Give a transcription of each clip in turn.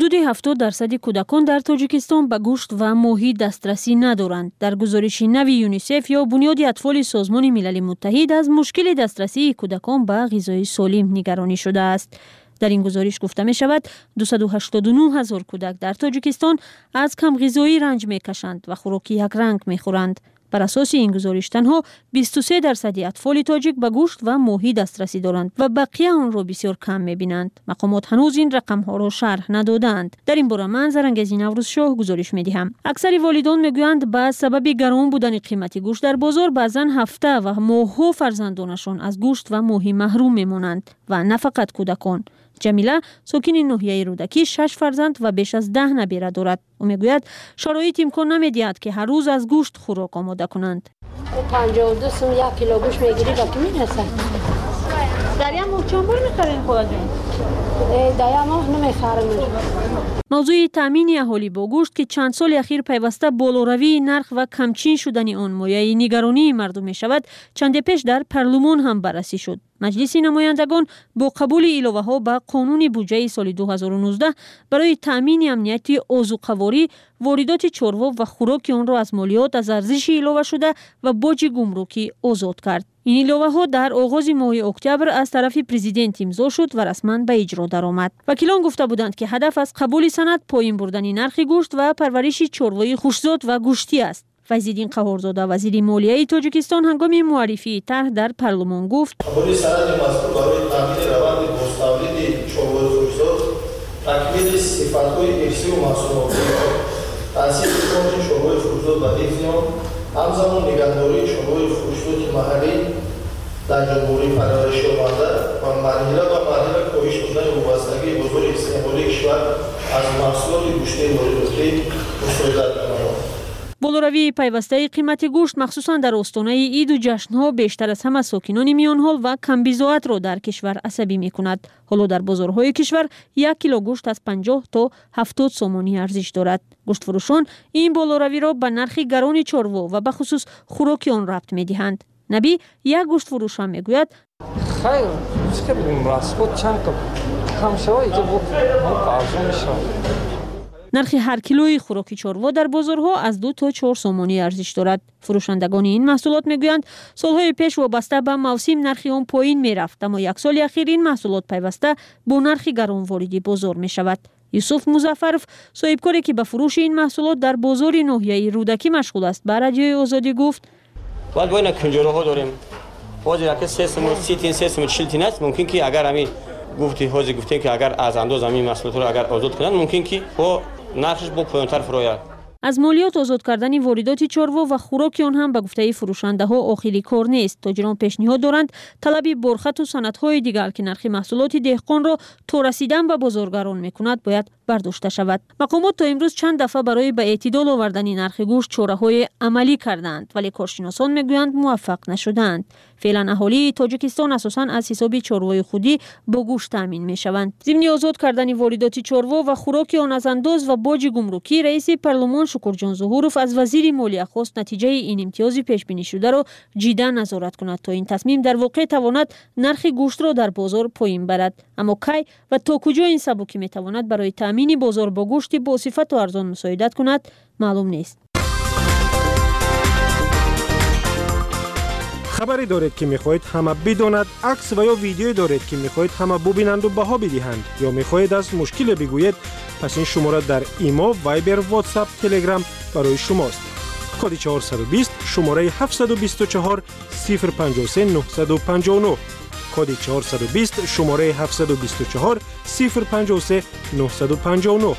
Ҳудуди 70% кӯдакон дар Тоҷикистон ба гӯшт ва моҳӣ дастрасӣ надоранд. Дар гузориши нави ЮНИСЕФ ё Бунёди Атфоли Созмони Милали Муттаҳид аз мушкили дастрасии кӯдакон ба ғизои солим нигаронӣ шудааст. Дар ин гузориш гуфта мешавад, 289 ҳазор кӯдак дар Тоҷикистон аз камғизоӣ ранҷ мекашанд ва хӯроки якранг мехӯранд. Бар асоси ин гузориш танҳо 23% атфоли тоҷик ба гӯшт ва моҳӣ дастрасӣ доранд ва бақия онро бисёр кам мебинанд. Мақомот ҳанӯз ин рақамҳоро шарҳ надодаанд. Дар ин бора ман Зарангези Наврӯзшоҳ гузориш медиҳам. Аксари волидон мегӯянд ба сабаби гарон будани қимати гӯшт дар бозор баъзан ҳафта ва моҳҳо фарзандонашон аз гӯшт ва моҳӣ маҳрум мемонанд ва на фақат кӯдакон. Ҷамила сокини ноҳияи Рӯдакӣ 6 фарзанд ва беш аз 10 набера дорад. Ӯ мегӯяд шароит имкон намедиҳад, ки ҳар рӯз аз гӯшт хӯрок омода кунанд. 52 сум 1 кило гӯшт мегирӣ, ба ки мерасад? Дар як моҳ чанд бор мехарем, холаҷон? Дар як моҳ намехарем. Мавзӯи таъмини аҳолӣ бо гӯшт, ки чанд соли ахир пайваста болоравии нарх ва камчин шудани он мояи нигаронии мардум мешавад, чанде пеш дар парлумон ҳам баррасӣ шуд. Маҷлиси намояндагон бо қабули иловаҳо ба қонуни буҷаи соли 2019 барои таъмини амнияти озуқаворӣ, воридоти чорво ва хӯроки онро аз молиёт аз арзиши иловашуда ва боҷи гумрукӣ озод кард. Ин иловаҳо дар оғози моҳи октябр аз тарафи президент имзо шуд ва расман ба иҷро даромад. Вакилон гуфта буданд, ки ҳадаф аз қабули санад поин бурдани нархи гӯшт ва парвариши чорвои хушзод ва гӯштӣ аст. Файзиддин Қаҳорзода, вазири молияи Тоҷикистон, ҳангоми муаррифии тарҳ дар парлумон гуфт: қабули санади мазкур барои таъмини раванди бозтавлиди чорвои хушзод, такмили сифатҳои ирсию маҳсулотӣ, таъсиси фонди чорвои хушзод ва ҳифзи он, ҳамзамон нигаҳдории чорвои хушзоди маҳаллӣ дар ҷумҳурӣ парвариш ёфта ва марҳила ба марҳила коҳиш додани вобастагии бозори истеъмолии кишвар аз маҳсулоти гӯштии воридотӣ мусоидат менамояд. Болоравии пайвастаи қимати гӯшт, махсусан дар остонаи иду ҷашнҳо, бештар аз ҳама сокинони миёнҳол ва камбизоатро дар кишвар асабӣ мекунад. Ҳоло дар бозорҳои кишвар 1 кило гӯшт аз 50 то 70 сомонӣ арзиш дорад. Гӯштфурӯшон ин болоравиро ба нархи гарони чорво ва бахусус хӯроки он рабт медиҳанд. Набӣ, як гӯштфурӯш ҳам мегӯяд: хайр, расход чанд кам шавад, иҷо арзон мешавад. Нархи ҳар килои хӯроки чорво дар бозорҳо аз 2 то 4 сомонӣ арзиш дорад. Фурӯшандагони ин маҳсулот мегӯянд, солҳои пеш вобаста ба мавсим нархи он поин мерафт, аммо як соли ахир ин маҳсулот пайваста бо нархи гарон вориди бозор мешавад. Юсуф Музаффаров, соҳибкоре ки ба фурӯши ин маҳсулот дар бозори ноҳияи Рӯдакӣ машғул аст, ба Радиои Озодӣ гуфт: бояд бо ина кунҷораҳо дорем. Ҳозир ака 3 сум 30 тин, 3 сум 40 тин аст. Мумкин ки агар ҳамин гуфти ҳозир гуфтем, ки агар аз андоз ҳамин маҳсулотро агар озод кунанд, мумкин ки бо нархш бо поёнтар фурояд. Аз молиёт озод кардани воридоти чорво ва хӯроки он ҳам ба гуфтаи фурӯшандаҳо охири кор нест. Тоҷирон пешниҳод доранд, талаби борхату санадҳои дигар, ки нархи маҳсулоти деҳқонро то расидан ба бозор гарон мекунад, бояд бардошта шавад. Мақомот то имрӯз чанд дафъа барои ба эътидол овардани нархи гӯшт чораҳои амалӣ кардаанд, вале коршиносон мегӯянд муваффақ нашудаанд. Феълан аҳолии Тоҷикистон асосан аз ҳисоби чорвои худӣ бо гӯшт таъмин мешаванд. Зимни озод кардани воридоти чорво ва хӯроки он аз андоз ва боҷи гумрукӣ, раиси парлумон Шукурҷон Зуҳуров аз вазири молия хост натиҷаи ин имтиёзи пешбинишударо ҷиддан назорат кунад, то ин тасмим дар воқеъ тавонад нархи гӯштро дар бозор поин барад. Аммо кай ва то куҷо ин сабукӣ метавонад барои таъмини бозор бо гӯшти босифату арзон мусоидат кунад, маълум нест. Хабаре доред, ки мехоҳед ҳама бидонад, акс ва ё видеое доред, ки мехоҳед ҳама бубинанду баҳо бидиҳанд, ё мехоҳед аз мушкиле бигӯед, пас ин шумора дар Имо, Вайбер, Ватсап, Телеграм барои шумост. Коди 420, шумораи 724 053 959. Коди 420, шумораи 724 053 959.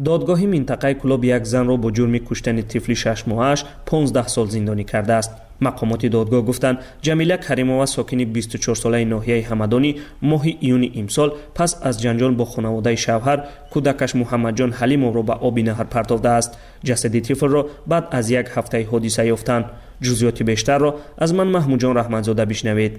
Додгоҳи минтақаи Кӯлоб як занро бо ҷурми куштани тифли 6 моҳааш 15 сол зиндонӣ кардааст. Мақомоти додгоҳ гуфтанд, Ҷамила Каримова, сокини 24-солаи ноҳияи Ҳамадонӣ, моҳи июни имсол пас аз ҷанҷол бо хонаводаи шавҳар кӯдакаш Муҳаммадҷон Ҳалимовро ба оби наҳр партофтааст. Ҷасади тифлро баъд аз як ҳафтаи ҳодиса ёфтанд. Ҷузъиёти бештарро аз ман, Маҳмудҷон Раҳматзода, бишнавед.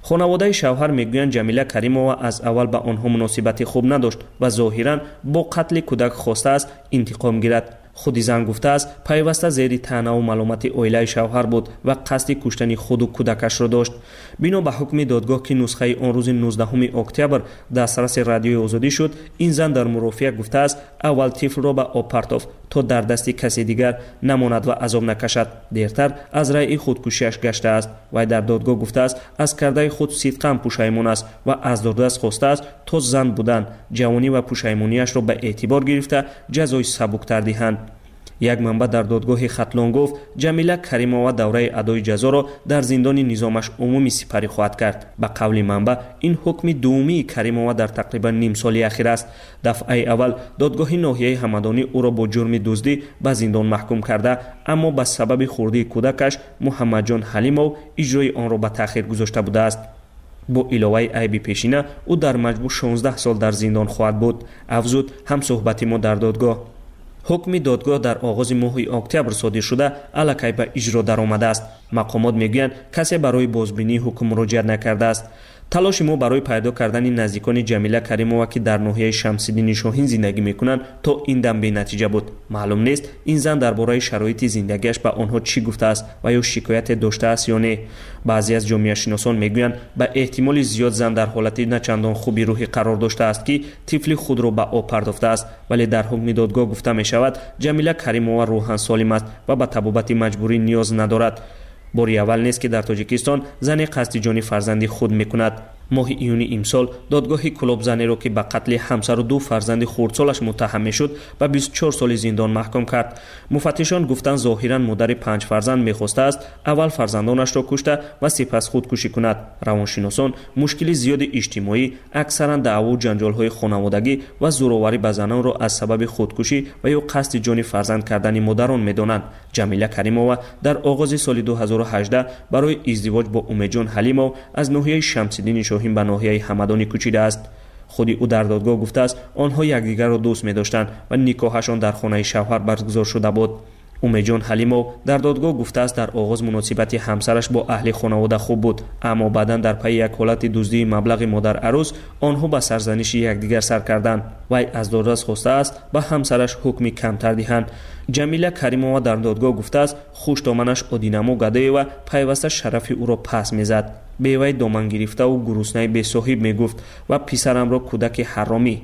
Хонаводаи шавҳар мегӯянд, Ҷамила Каримова аз аввал ба онҳо муносибати хуб надошт ва зоҳиран бо қатли кӯдак хостааст интиқом гирад. Худи зан гуфтааст, пайваста зери таънаву маломати оилаи шавҳар буд ва қасди куштани худу кӯдакашро дошт. Бино ба ҳукми додгоҳ, ки нусхаи он рӯзи 19 октябр дастраси Радиои Озодӣ шуд, ин зан дар мурофиа гуфтааст, аввал тифлро ба об партофт, то дар дасти касе дигар намонад ва азоб накашад. Дертар аз раъи худкушиаш гаштааст. Вай дар додгоҳ гуфтааст, аз кардаи худ сидқан пушаймон аст ва аз додраст хостааст, то зан будан, ҷавонӣ ва пушаймониашро ба эътибор гирифта, ҷазои сабуктар диҳанд. Як манбаъ дар додгоҳи Хатлон гуфт, Ҷамила Каримова давраи адои ҷазоро дар зиндони низомаш умумӣ сипарӣ хоҳад кард. Ба қавли манбаъ, ин ҳукми дуввумии Каримова дар тақрибан нимсоли ахир аст. Дафъаи аввал додгоҳи ноҳияи Ҳамадонӣ ӯро бо ҷурми дуздӣ ба зиндон маҳкум карда, аммо ба сабаби хурдии кӯдакаш Муҳаммадҷон Ҳалимов иҷрои онро ба таъхир гузошта будааст. Бо иловаи айби пешина ӯ дар маҷмӯъ 16 сол дар зиндон хоҳад буд, афзуд ҳамсӯҳбати мо дар додгоҳ. Ҳукми додгоҳ дар оғози моҳи октябр содир шуда, аллакай ба иҷро даромадааст. Мақомот мегӯянд, касе барои бозбинии ҳукм муроҷиат накардааст. Талоши мо барои пайдо кардани наздикони Ҷамила Каримова, ки дар ноҳияи Шамсиддини Шоҳин зиндагӣ мекунанд, то ин дам бенатиҷа буд. Маълум нест, ин зан дар бораи шароити зиндагиаш ба онҳо чӣ гуфтааст ва ё шикояте доштааст ё не. Баъзе аз ҷомеашиносон мегӯянд, ба эҳтимоли зиёд зан дар ҳолати начандон хуби рӯҳӣ қарор доштааст, ки тифли худро ба об партофтааст. Вале дар ҳукми додгоҳ гуфта мешавад, Ҷамила Каримова рӯҳан солим аст ва ба табобати маҷбурӣ ниёз надорад. Бори аввал нест, ки дар Тоҷикистон зане қасди ҷони фарзанди худ мекунад. Моҳи июни имсол додгоҳи Кӯлоб занеро, ки ба қатли ҳамсару ду фарзанди хурдсолаш муттаҳам мешуд, ба 24 соли зиндон маҳкум кард. Муфаттишон гуфтанд, зоҳиран модари панҷ фарзанд мехостааст аввал фарзандонашро кушта ва сипас худкушӣ кунад. Равоншиносон мушкили зиёди иҷтимоӣ, аксаран даъву ҷанҷолҳои хонаводагӣ ва зӯроварӣ ба занонро аз сабаби худкушӣ ва ё қасди ҷони фарзанд кардани модарон медонанд. Ҷамила Каримова дар оғози соли 2018 барои издивоҷ бо Умедҷон Ҳалимов аз ноҳияи Шамсиддини Шоҳин ба ноҳияи Ҳамадонӣ кӯчидааст. Худи ӯ дар додгоҳ гуфтааст, онҳо якдигарро дӯст медоштанд ва никоҳашон дар хонаи шавҳар баргузор шуда буд. Умедҷон Ҳалимов дар додгоҳ гуфтааст, дар оғоз муносибати ҳамсараш бо аҳли хонавода хуб буд, аммо баъдан дар пайи як ҳолати дуздии маблағи модарарӯс онҳо ба сарзаниши якдигар сар карданд. Вай аз додрас хостааст, ба ҳамсараш ҳукми камтар диҳанд. Ҷамила Каримова дар додгоҳ гуфтааст, хуштоманаш Одинамо Гадоева пайваста шарафи ӯро пас мезад. Бевай домангирифтаву гуруснаи бесоҳиб мегуфт ва писарамро кӯдаки ҳаромӣ.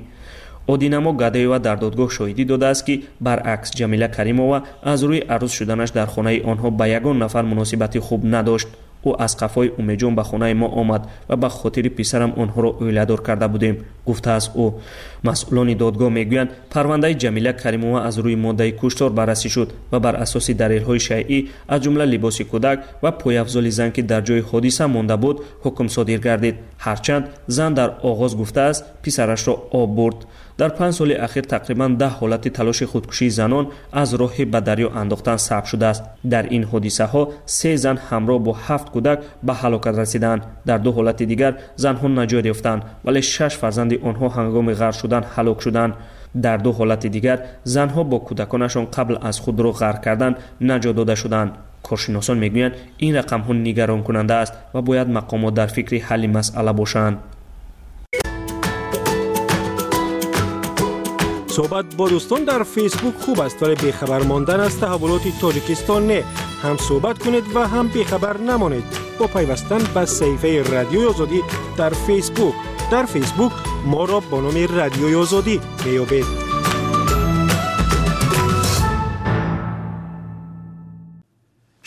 Одинамо Гадоева дар додгоҳ шоҳидӣ додааст, ки баръакс Ҷамила Каримова аз рӯи арӯс шуданаш дар хонаи онҳо ба ягон нафар муносибати хуб надошт. Ӯ аз қафои Умедҷон ба хонаи мо омад ва ба хотири писарам онҳоро оиладор карда будем, гуфтааст ӯ. Масъулони додгоҳ мегӯянд, парвандаи Ҷамила Каримова аз рӯи моддаи куштор баррасӣ шуд ва бар асоси далелҳои шайъӣ, аз ҷумла либоси кӯдак ва пойафзоли зан, ки дар ҷои ҳодиса монда буд, ҳукм содир гардид. Ҳарчанд зан дар оғоз гуфтааст, писарашро об бурд. Дар 5 соли ахир тақрибан 10 ҳолати талоши худкушии занон аз роҳи ба дарё андохтан сабт шудааст. Дар ин ҳодисаҳо се зан ҳамроҳ бо 7 кӯдак ба ҳалокат расиданд. Дар ду ҳолати дигар занҳо наҷот ёфтанд, вале 6 фарзанди онҳо ҳангоми ғарқ шудан ҳалок шуданд. Дар ду ҳолати дигар занҳо бо кӯдаконашон қабл аз худро ғарқ кардан наҷот дода шуданд. Коршиносон мегӯянд, ин рақамҳо нигаронкунанда аст ва бояд мақомот дар фикри ҳалли масъала бошанд. Суҳбат бо дӯстон дар Фейсбук хуб аст, вале бехабар мондан аз таҳаввулоти Тоҷикистон не. Ҳам суҳбат кунед ва ҳам бехабар намонед бо пайвастан ба саҳифаи Радиои Озодӣ дар Фейсбук. Дар Фейсбук моро бо номи Радиои Озодӣ меёбед.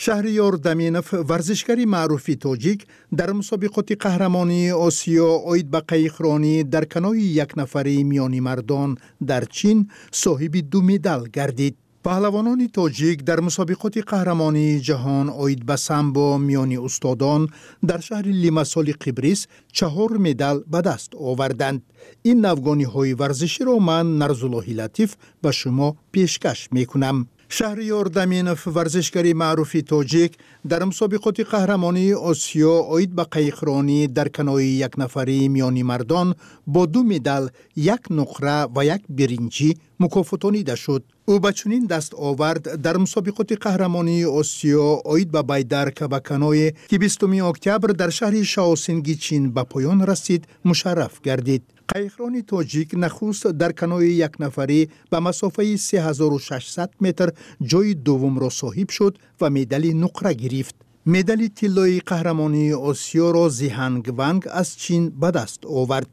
Шаҳриёр Даминов, варзишгари маъруфи тоҷик, дар мусобиқоти қаҳрамонии Осиё оид ба қайиқронӣ дар канои якнафарӣ миёни мардон дар Чин соҳиби ду медал гардид. Паҳлавонони тоҷик дар мусобиқоти қаҳрамонии ҷаҳон оид ба самбо миёни устодон дар шаҳри Лимасоли Қибрис 4 медал ба даст оварданд. Ин навгониҳои варзиширо ман, Нарзуллоҳи Латиф, ба шумо пешкаш мекунам. Шаҳриёр Даминов, варзишгари маъруфи тоҷик, дар мусобиқоти қаҳрамонии Осиё оид ба қайиқронӣ дар канои якнафарӣ миёни мардон бо ду медал, як нуқра ва як биринҷӣ, Мукофотонида шуд. Ӯ ба чунин дастовард дар мусобиқоти қаҳрамонии Осиё оид ба байдарка ва каное, ки 20 октябр дар шаҳри Шаосинги Чин ба поён расид, мушарраф гардид. Қайиқрони тоҷик нахуст дар канои якнафарӣ ба масофаи 3600 метр ҷойи дуввумро соҳиб шуд ва медали нуқра гирифт. Медали тиллои қаҳрамонии Осиёро Зиҳанг Ванг аз Чин ба даст овард.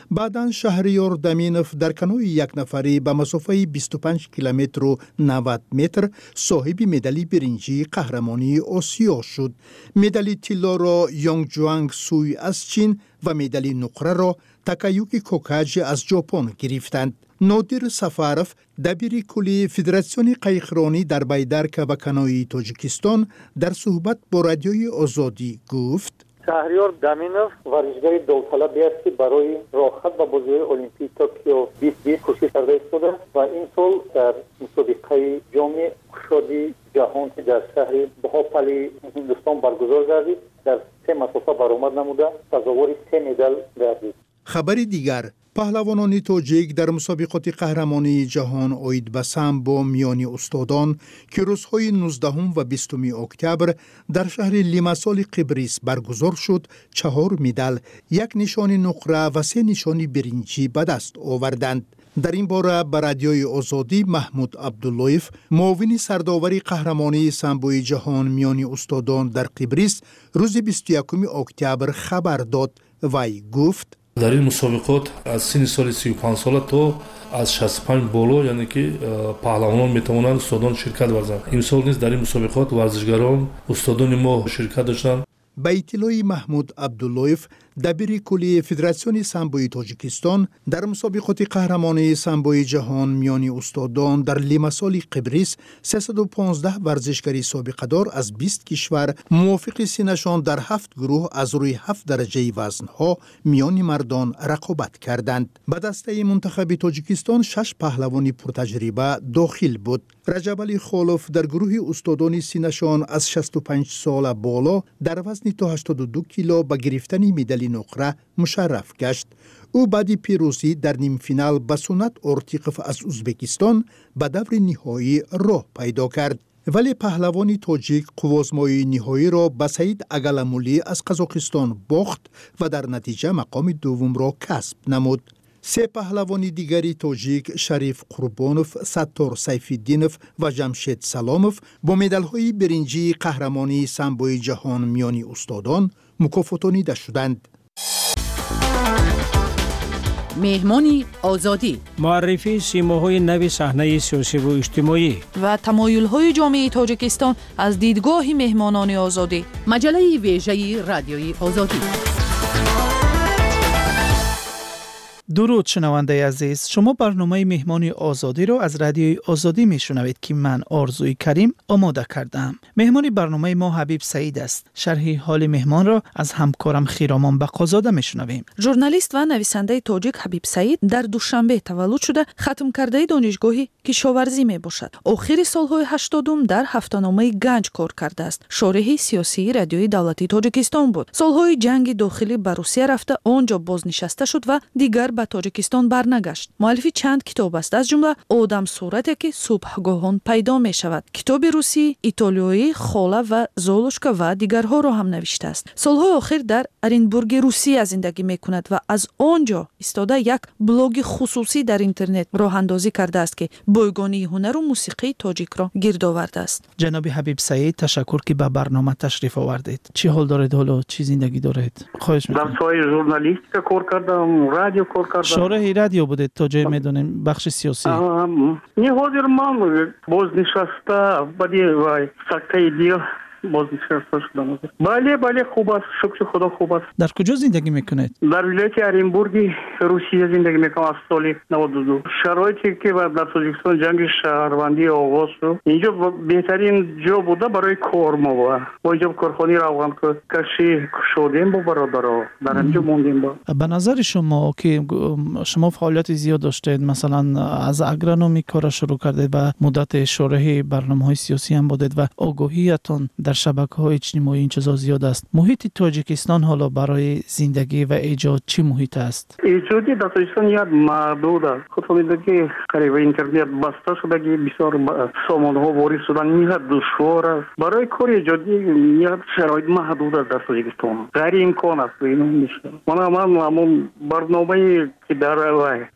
Баъдан Шаҳриёр Даминов дар канои якнафарӣ ба масофаи 25 километру 90 метр соҳиби медали биринҷии қаҳрамонии Осиё шуд. Медали тиллоро Ёнгҷуанг Суй аз Чин ва медали нуқраро Такаюки Кокаҷи аз Ҷопон гирифтанд. Нодир Сафаров, дабири кулли Федератсиони қайиқронӣ дар байдарка ва каноии Тоҷикистон, дар суҳбат бо Радиои Озодӣ гуфт: Шаҳриёр Даминов варзишгари довталабе аст, ки барои роҳхат ба бозиҳои Олимпии Токио 2020 кӯшиш карда истода ва ин сол дар мусобиқаи Ҷоми кушоди ҷаҳон, ки дар шаҳри Бҳопали Ҳиндустон баргузор гардид, дар се масофа баромад намуда, сазовори се медал гардид. Хабари дигар: паҳлавонони тоҷик дар мусобиқоти қаҳрамонии ҷаҳон оид ба самбо миёни устодон, ки рӯзҳои 19 ва 20 октябр дар шаҳри Лимасоли Қибрис баргузор шуд, чаҳор медал, як нишони нуқра ва се нишони биринҷӣ ба даст оварданд. Дар ин бора ба Радиои Озодӣ Маҳмуд Абдуллоев, муовини сардовари қаҳрамонии самбои ҷаҳон миёни устодон дар Қибрис, рӯзи 21 октябр хабар дод. Вай гуфт: Дар ин мусобиқот аз синни соли 35сола то аз 65 боло, яъне ки паҳлавонон метавонанд, устодон ширкат варзанд. Имсол низ дар ин мусобиқот варзишгарон, устодони мо ширкат доштанд. Ба иттилои Маҳмуд Абдуллоев, дабири кулли Федератсиони самбои Тоҷикистон, дар мусобиқоти қаҳрамонии самбои ҷаҳон миёни устодон дар Лимасоли Қибрис 315 варзишгари собиқадор аз 20 кишвар мувофиқи синнашон дар ҳафт гурӯҳ аз рӯи ҳафт дараҷаи вазнҳо миёни мардон рақобат карданд. Ба дастаи мунтахаби Тоҷикистон шаш паҳлавони пуртаҷриба дохил буд. Раҷабалӣ Холов дар гурӯҳи устодони синнашон аз 65 сола боло дар вазни то 82 кило ба гирифтани медали нуқра мушарраф гашт. Ӯ баъди пирӯзӣ дар нимфинал ба Сунат Ортиқов аз Узбекистон ба даври ниҳоӣ роҳ пайдо кард, вале паҳлавони тоҷик қуввозмоии ниҳоиро ба Саид Агаламулӣ аз Қазоқистон бохт ва дар натиҷа мақоми дуввумро касб намуд. Се паҳлавони дигари тоҷик, Шариф Қурбонов, Саттор Сайфиддинов ва Ҷамшед Саломов, бо медалҳои биринҷии қаҳрамонии самбои ҷаҳон миёни устодон мукофотонида шуданд. Меҳмони Озодӣ. Муаррифии симоҳои нави саҳнаи сиёсиву иҷтимоӣ ва тамоюлҳои ҷомеаи Тоҷикистон аз дидгоҳи меҳмонони Озодӣ. Маҷаллаи вежаи Радиои Озодӣ. Дуруд, шунавандаи азиз! Шумо барномаи Меҳмони Озодиро аз Радиои Озодӣ мешунавед, ки ман, Орзуи Карим, омода кардаам. Меҳмони барномаи мо Ҳабиб Саид аст. Шарҳи ҳоли меҳмонро аз ҳамкорам Хиромон Бақозода мешунавем. Журналист ва нависандаи тоҷик Ҳабиб Саид дар Душанбе таваллуд шуда, хатмкардаи донишгоҳи кишоварзӣ мебошад. Охири солҳои 80-ум дар ҳафтаномаи Ганҷ кор кардааст, шореҳи сиёсии Радиои давлатии Тоҷикистон буд. Солҳои ҷанги дохилӣ ба Русия рафта, он ҷо бознишаста шуд ва дигар ба Тоҷикистон барнагашт. Муаллифи чанд китоб аст, аз ҷумла Одамсурате, ки субҳгоҳон пайдо мешавад, китоби русӣ, итолиёӣ Хола ва Золушка ва дигарҳоро ҳам навиштааст. Солҳои охир дар Оренбурги Русия зиндагӣ мекунад ва аз он ҷо истода як блоги хусусӣ дар интернет роҳандозӣ кардааст, ки бойгонии ҳунару мусиқии тоҷикро гирд овардааст. Ҷаноби Ҳабиб Саид, ташаккур, ки ба барнома ташриф овардед. Чӣ ҳол доред ҳоло? Чӣ зиндагӣ доред? Хоҳиш. Дар соҳаи журналистика кор кардам, радио кор кардам. Шореҳи радио будед, то ҷое медонем, бахши сиёсӣ. Не, ҳозир ман бознишаста, баъди вай сактаи дил бознишаста шудам. Бале, бале, хуб аст, шукри Худо, хуб аст. Дар куҷо зиндагӣ мекунед? Дар вилояти Оренбурги Русия зиндагӣ мекунам аз соли 92. Шароите ки дар Тоҷикистон ҷанги шаҳрвандӣ оғоз шуд, инҷо беҳтарин ҷо буда барои кор. Мо бо инҷо корхонаи равғанкашӣ кушодем бо бародаро, дар ҳаминҷо мондем. Ба назари шумо, ки шумо фаъолияти зиёд доштед, масалан, аз агрономӣ кора шурӯъ кардед ва муддати шореҳи барномаҳои сиёсӣ ҳам будед ва огоҳиятон дар Дар шабакаҳои иҷтимоӣ ин чизо зиёд аст. Муҳити Тоҷикистон ҳоло барои зиндагӣ ва эҷод чӣ муҳит аст? Эҷодӣ дар Тоҷикистон як маҳдуд аст. Худтон медонед, ки қариб интернет баста шудагӣ, бисёр сомонаҳо ворид шудан ниҳоят душвор аст. Барои кори эҷодӣ ниҳоят шароит маҳдуд аст дар Тоҷикистон, ғайриимкон аст. Мана ман ҳамон барномае ки дар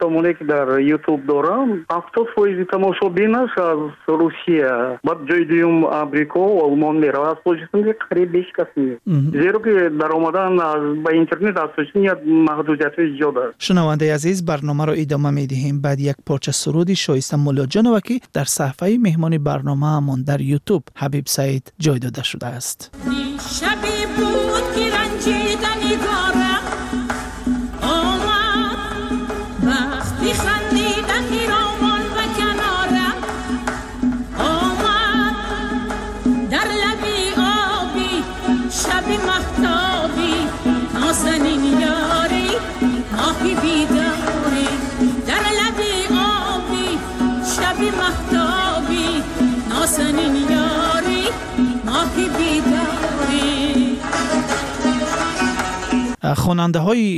сомонае ки дар Ютуб дорам, 70% тамошобинаш аз Русия, баъд ҷои дуюм Амрико, Олмон меравад. Аз Тоҷикистон қариб ҳеҷ кас нест, зеро ки даромадан ба интернет аз Тоҷикистон як маҳдудиятҳои зиёд аст. Шунавандаи азиз, барномаро идома медиҳем баъд як порча суруди Шоиста Муллоҷонова, ки дар саҳифаи меҳмони барномаамон дар Ютуб Ҳабиб Саид ҷой дода шудааст. Шабе буд ки ранҷида нигорам омад, вақти хандида хиромон ба канорам омад, дар лаби обӣ шаби маҳтобӣ нозанин ёрӣ моҳи бедорӣ, дар лаби обӣ шаби маҳтобӣ нозанин ёрӣ моҳи бедорӣ. Хонандаҳои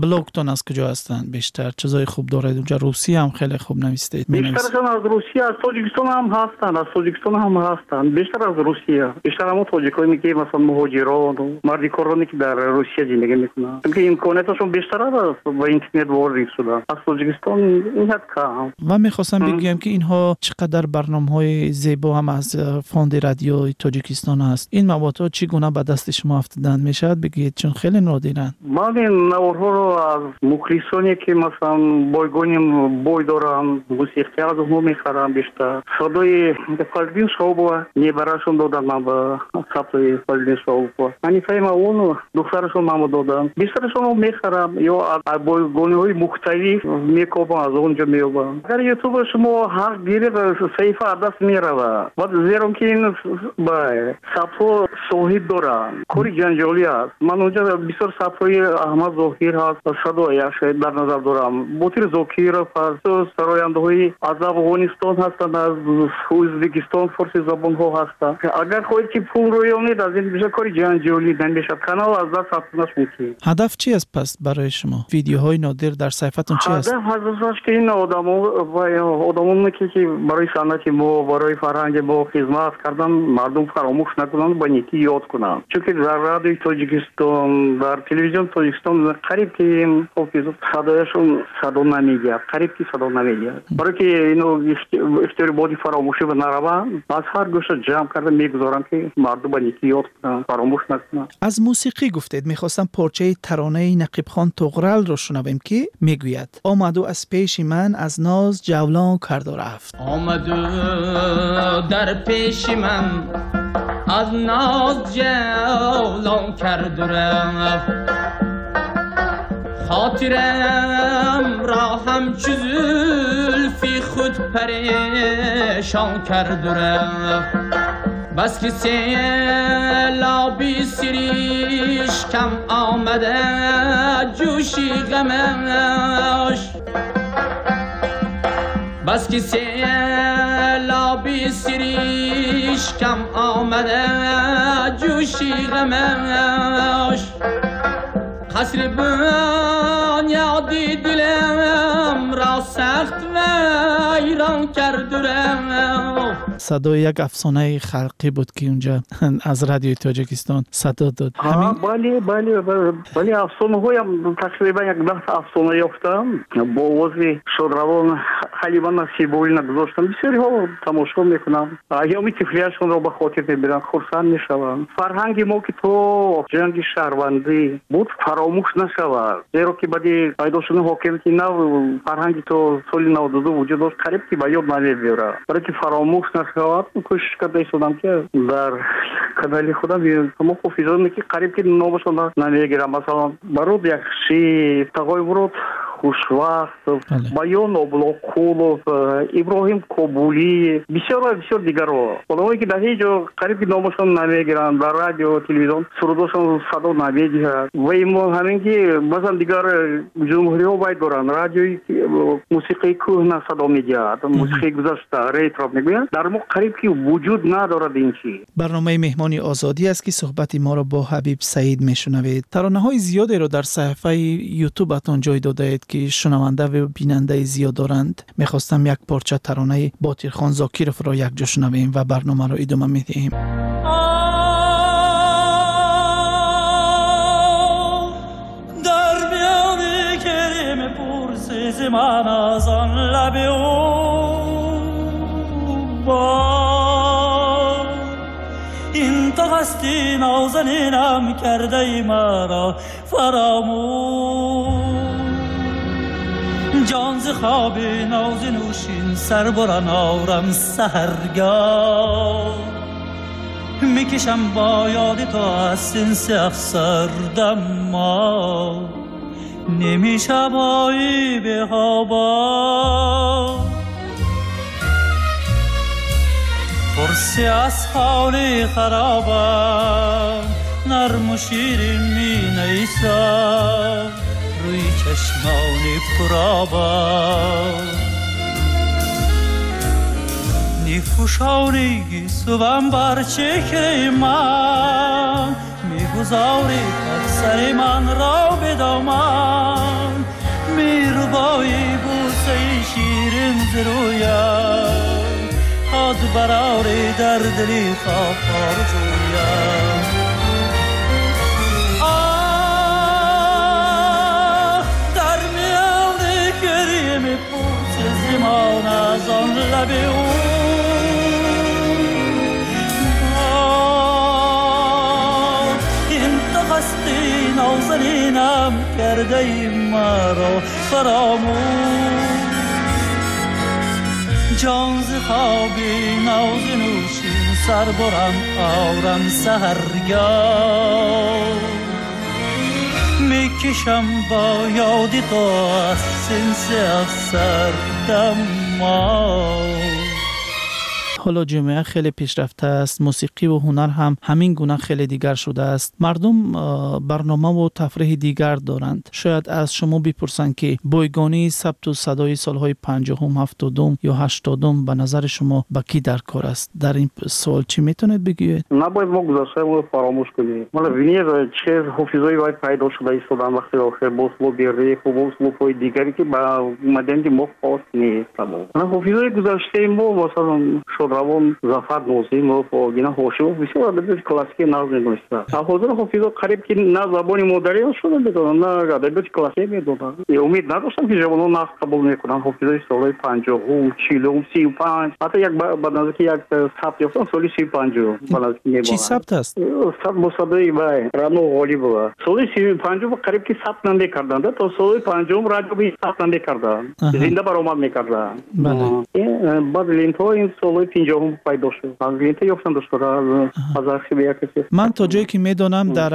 блогтон аз куҷо ҳастанд бештар? Чизои хуб доред унҷа, русия ҳам хеле хуб навистед. Бештарашон аз Русия, аз Тоҷикистон ҳам ҳастанд, аз Тоҷикистон ҳам ҳастанд, бештар аз Русия. Бештар ҳамон тоҷиконе ки масалан муҳоҷирон, мардикороне ки дар Русия зиндагӣ мекунанд, чунки имконияташон бештар аст ба интернет ворид шудан. Аз Тоҷикистон инҳад кам. Ва мехостам бигӯям, ки инҳо чӣ қадар барномаҳои зебо ҳам аз фонди радиои Тоҷикистон аст. Ин маводҳо чӣ гуна ба дасти шумо афтиданд, мешавад бигӯед, чун хеле нодиранд? Ман ин наворҳоро аз мухлисоне ки масалан бойгони бой доранд, мусиқӣ аз онҳо мехарам бештар. Садои Фазлиддин Шаҳобова небарашон доданд, ман ба сабти Фазлиддин Шаҳобова, Ҳанифаи Мавлонова духтарашон манро доданд. Бештарашонро мехарам ё аз бойгониҳои мухталиф мекобам, аз он ҷо меёбам. Агар ютуба шумо ҳақ гиред, саҳифа аз даст меравад, баъд зеро ки ин сабтҳо соҳиб доранд, кори ҷанҷолӣ аст. Ман онҷо бисёр сабтҳои Аҳмад Зоҳир ҳаст, садояш дар назар дорам, Ботир Зокиров ҳаст, сарояндаҳои аз Афғонистон ҳастанд, аз Ӯзбекистон, форси забонҳо ҳастанд. Агар хоҳед ки пул рӯёнед, аз ин бисёр кори ҷанҷолӣ намешавад, канал аз даст рафтанаш мумкин. Ҳадаф чи аст пас барои шумо? Видеоҳои нодир дар саҳифатон чи аст? Ҳадаф аз ки ин одамоне ки барои санъати мо, барои фарҳанги мо хизмат кардан, мардум фаромӯш накунанд, ба некӣ ёд кунанд. Чунки дар радиои Тоҷикистон, дар телевизион Тоҷикистон қариб ки садояшон садо намедиҳад, қариб ки садо намедиҳад. Барои ки ино ихтиёри боди фаромӯшӣ нараванд, аз ҳар гӯша ҷамъ карда мегузорам, ки мардум ба некӣ ёд кунанд, фаромӯш накунанд. Аз мусиқӣ гуфтед, мехостам порчаи таронаи Нақибхон Туғралро шунавем, ки мегӯяд: омаду аз пеши ман аз ноз ҷавлон карду рафт. Омаду дар пеши ман аз ноз ҷавлон карду рафт, хотирам ро ҳамчу зулфи худ парешон карду рафт. Бас ки селоби сиришкам омада ҷӯши ғамаш, бас ки селоби сиришкам омада ҷӯши ғамаш, қасри бунёди дилам ро сахт вайрон карду рафт. Садои як афсонаи халқӣ буд, ки унҷа аз радиои Тоҷикистон садо дод. Бале, бале, бале, афсонаҳоям тақрибан як 10 афсона ёфтам, бо овози шодравон Ҳалима Насибуллина гузоштам. Бисёриҳо тамошо мекунанд, айёми тифлиашонро ба хотир мебиранд, хурсанд мешаванд. Фарҳанги мо ки то ҷанги шаҳрвандӣ буд, фаромӯш нашавад, зеро ки баъди пайдо шудани ҳокимияти нав фарҳанги то соли 92 вуҷуд дошт, қариб ки ба ёд намебиёрад. Барои ки фаромӯш нашавад, кӯшиш карда истодам, ки дар канали худам ҳамон ҳофизоне ки қариб ки номашон намегирам, масалан Барод Яхшиев, Тағои Мурод Хушвақтов, Баён Облоқулов, Иброҳим Кобулиев, бисёр ва бисёр дигарҳо, одамое ки дар ҳеҷ ҷо қариб ки номашон намегиранд, дар радио, телевизион сурудошон садо намедиҳад. Ва ҳамин ки масалан дигар ҷумҳуриҳо вай доранд, радиои мусиқии кӯҳна садо медиҳад, мусиқии гузашта, ретро мегӯянд, дар мо қариб ки вуҷуд надорад ин чиз. Барномаи Меҳмони Озодӣ аст, ки суҳбати моро бо Ҳабиб Саид мешунавед. Таронаҳои зиёдеро дар саҳифаи Ютубатон ҷой додаед, ки шунаванда ва бинандаи зиёд доранд. Мехостам як порча таронаи Ботирхон Зокировро якҷо шунавем ва барномаро идома медиҳем. Дар миёни гирем пурсизи ман аз он лаби ӯ бод, ин то ҳасти нозанинам кардаи маро фаромӯш. Ҷон зи хоби нози нӯшин сар буран орам саҳаргоҳ, мекашам бо ёди ту аз синси афсардам мо, намешавои беҳобо. پرسی از حال خرابم، نرم و شیرین می نیسم، روی چشمان پرآبم، نیفوشانی گیسوم بر چهره من، میگذاری سر من را به دامن، میربایی بوسه شیرین ز رویم، خود براری در دلی خواب آرزویم. آه در میان گریم پوچ زمان از آن لب او، این تو هستی نازنینم کرده ای مرا فراموش. جان ز خوابی ناز نوشین سر برم آرم سحرگاه، میکشم با یاد تو از سنس افسردم ما. ҳоло ҷомеа хеле пешрафта аст, мусиқӣ ва ҳунар ҳам ҳамин гуна хеле дигар шудааст. Мардум барномаву тафриҳи дигар доранд. Шояд аз шумо бипурсанд, ки бойгонии сабту садои солҳои 50-ум, 70-ум ё 80-ум ба назари шумо ба кӣ дар кор аст? Дар ин суол чӣ метавонед бигӯед? Набояд мо гузаштаи фаромӯш кунем. Мана бинед, чӣ ҳофизҳои вай пайдо шуда истоданд вақти охир, бо услуби реп бо услубҳои дигаре ки ба маданияти мо хос нест. Ҳофизҳои гузаштаи мо, масалан шодравон Зафар Нозимов, Гина Ҳошимов, бисёр адабиёти классикӣ нағз медонистанд. Ҳозир ҳофизҳо қариб ки на забони модарӣ шуда медонанд, на адабиёти классикӣ медонанд. Умед надоштам ки ҷавонон нағз қабул мекунанд ҳофизҳои солҳои 50-ум, 40-ум, 35. Ҳатто як ба наздики як сабт ёфтам соли 35-ум ба наздики мебонанд. Чӣ сабт аст? Сабт бо садои вай Рано Ғолибова. Соли 35-ум қариб ки сабт намекарданд, то соли 50-ум радио сабт намекарданд, зинда баромад мекарданд. Баъд лентҳо ин солҳои 50-ум пайдо шуд. Аз лента ёфтам дошта аз архиви як касе. Ман то ҷое ки медонам, дар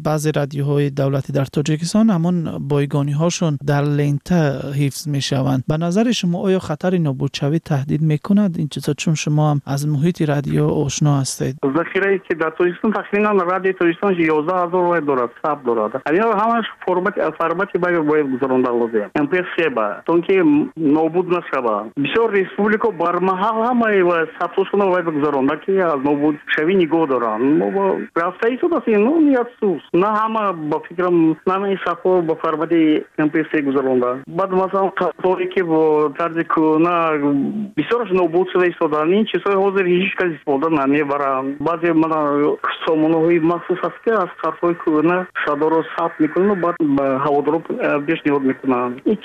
баъзе радиоҳои давлатӣ дар Тоҷикистон ҳамон бойгониҳошон дар лента ҳифз мешаванд. Ба назари шумо оё хатари нобудшавӣ таҳдид мекунад ин чизҳо, чун шумо ҳам аз муҳити радио ошно ҳастед? Захирае ки дар Тоҷикистон тахминан радиои Тоҷикистон 11 000 вай дорад, сабт дорад. Ҳамин ҳамаш формати бояд гузаронда лозим. MP3 ба, то ки нобуд нашавад. Бисёр республика бармаҳал ҳамаи сабтҳошонро бояд гузаронда, ки аз нобудшавӣ нигоҳ доранд. Рафта истодааст ин, афсӯс. На ҳама, ба фикрам, на ҳамаи сабтҳо ба формати MP3 гузаронда. Баъд масалан қаторе ки бо тарзи кӯҳна бисёраш нобуд шуда истоданд. Ин чизҳои ҳозир ҳеҷ кас истифода намебаранд. Баъзе мана сомонаҳои махсус аст, ки аз ҳарфҳои кӯҳна садоро сабт мекунанд, баъд ба ҳаводоро пешниҳод мекунанд. Ин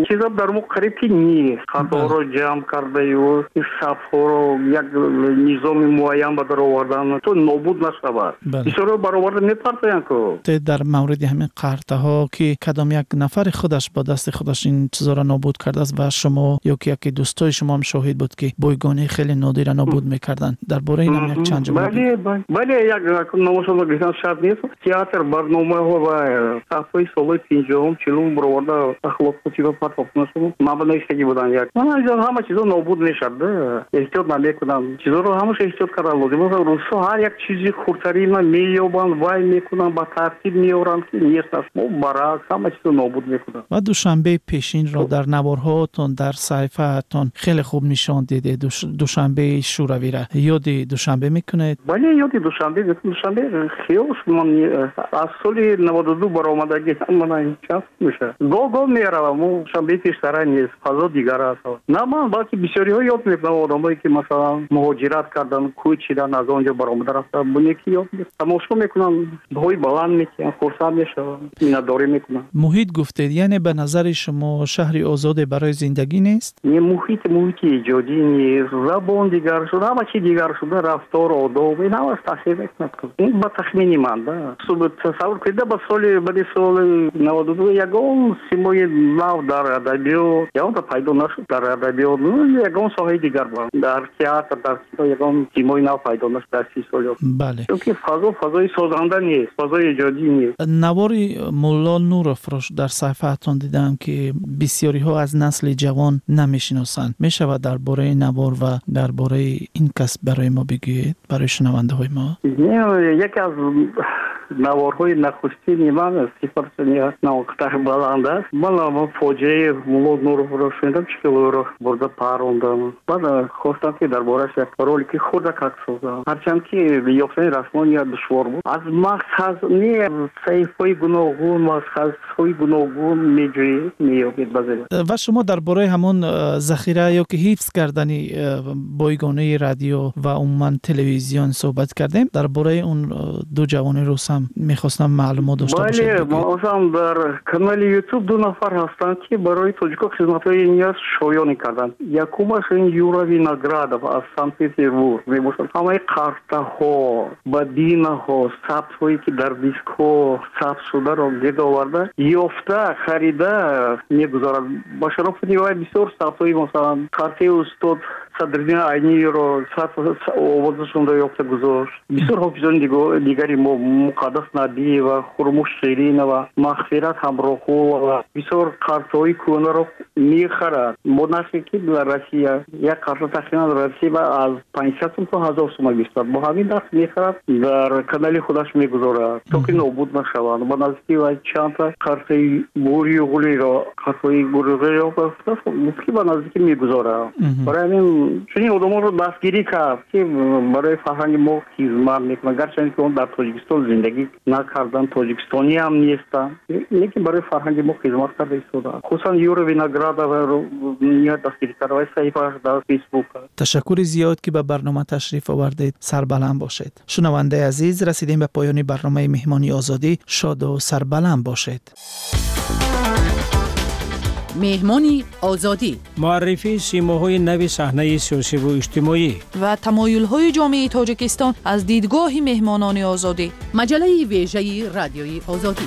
чиза дар мо қариб ки нест. Қаторро ҷамъ кардаю сабтҳо қартаҳоро як низоми муайян ба дар овардан, то нобуд нашавад. Бисёро бароварда мепартоянд ку. Дар мавриди ҳамин қартаҳо, ки кадом як нафари худаш бо дасти худаш ин чизоро нобуд кардааст ва шумо ё ки яке дӯстои шумо ҳам шоҳид буд, ки бойгонии хеле нодира нобуд мекарданд, дар бораи ин ҳам як чанд ҷумла. Бале, як номошонро гирифтан шарт нест. Театр, барномаҳо ва сафҳои солҳои 50-ум, 40-ум бароварда ахлоқчиба партофтанашон ман ба навиштагӣ буданд. Як ҳама чизо нобуд мешавад, эҳтиёт намекунанд. Чизоро ҳамаша эҳтиёт кардан лозим. Русҳо ҳар як чизи хурдтарина меёбанд, вай мекунанд, ба тартиб меоранд, ки нест аст. Мо баръакс ҳама чизо нобуд мекунанд. Ва Душанбеи пешинро дар наворҳоатон, дар саҳифаатон хеле хуб нишон дидед, Душанбеи шӯравиро. Ёди Душанбе мекунед? Бале, ёди Душанбе мекунам. Душанбе хиёл ман аз соли 92 баромадагӣ, мана чанд мешавад. Гоҳ-гоҳ меравам, Душанбеи пештара нест, фазо дигар аст. На ман, балки бисёриҳо ёд мекунанд, одамое ки масалан муҳоҷират карданд, кӯчидан, аз он ҷо баромада рафтанд, бунеки ёд тамошо мекунанд, баҳои баланд мекунанд, хурсанд мешаванд, миннатдорӣ мекунанд. Муҳит гуфтед, яъне ба назари шумо шаҳри озоде барои зиндагӣ нест? Не, муҳит муҳити эҷодӣ нест, забон дигар шуда, ҳама чи дигар шуда, рафтор, одоб, ин ҳамаш таъсир мекунад. Ин ба тахмини ман, да. Тасаввур кунед, ба соли баъди соли 92 ягон симои нав дар адабиёт ягонта пайдо нашуд, дар адабиёт, ягон соҳаи дигар, дар театр, дар кино ягон симои нав пайдо нашуд дар 30 соли. Бале. Чунки фазо фазои созанда нест, фазои эҷодӣ нест. Навори Мулло Нуровро дар саҳифаатон дидам, ки бисёриҳо аз насли ҷавон намешиносанд. Мешавад дар бораи навор ва дар бораи ин кас барои мо бигӯед, барои шунавандаҳои мо? Яке аз наворҳои нахустини ман сифаташ навқтар баланд аст. Ман фоҷиаи Мулло Нуровро шунидам, чӣ хел ӯро бурда парондам. Баъд хостам, ки дар борааш як ролики хурдакак созам. Ҳарчанд ки ёфтани расмон душвор буд. Аз мақсад не, саҳифаҳои гуногун, мақсадҳои гуногун меҷӯед, меёбед баъзе. Ва шумо дар бораи ҳамон захира ё ки ҳифз кардани бойгонаи радио ва умуман телевизион суҳбат кардем. Дар бораи он ду ҷавони рус ҳам мехостам маълумот дошта бошед. Бале, масалан дар канали YouTube ду нафар ҳастанд, ки барои тоҷико хизматҳои ниёз шоёнӣ карданд. Якумаш ин Юра Виноградов аз Санкт-Петербург мебошад. Ҳамаи қартаҳо, бабинаҳо, сабтҳое ки дар дискҳо сабт шударо гирд оварда, ёфта, харида мегузорад. Ба шарофати вай бисёр сабтҳои, масалан, қартаи устод Садриддин Айниро овозашонро ёфта гузошт. Бисёр ҳофизони дигари мо, Муқаддас Набиева, Хурмуш Ширинова, Мағфират Ҳамроҳулова бисёр қартҳои кӯҳнаро мехарад. Бо нархе ки дар Россия як қарта тақрибан Россия аз 500 сум то 1000 сум гирифтад. Бо ҳамин нарх мехарад, дар канали худаш мегузорад, то ки нобуд нашаванд. Ба наздики вай чандта қартаи Гурюғулиро, қартҳои Гурюғулиро ки ба наздики мегузорад. Барои ҳамин чунин одамонро дастгирӣ кард, ки барои фарҳанги мо хизмат мекунанд. Гарчанде ки он дар Тоҷикистон зиндагӣ накарданд, тоҷикистонӣ ҳам нестанд, лекин барои фарҳанги мо хизмат карда истодаанд. Хусусан Юра Виноградоваро ниҳоят дастгирӣ кард, вай саҳифааш дар Фейсбук. Ташаккури зиёд, ки ба барнома ташриф овардед. Сарбаланд бошед. Шунавандаи азиз, расидем ба поёни барномаи Меҳмони Озодӣ. Шоду сарбаланд бошед. Меҳмони Озодӣ, муаррифии симоҳои нави саҳнаи сиёсиву иҷтимоӣ ва тамоюлҳои ҷомеаи Тоҷикистон аз дидгоҳи меҳмонони Озодӣ. Маҷаллаи вежаи Радиои Озодӣ.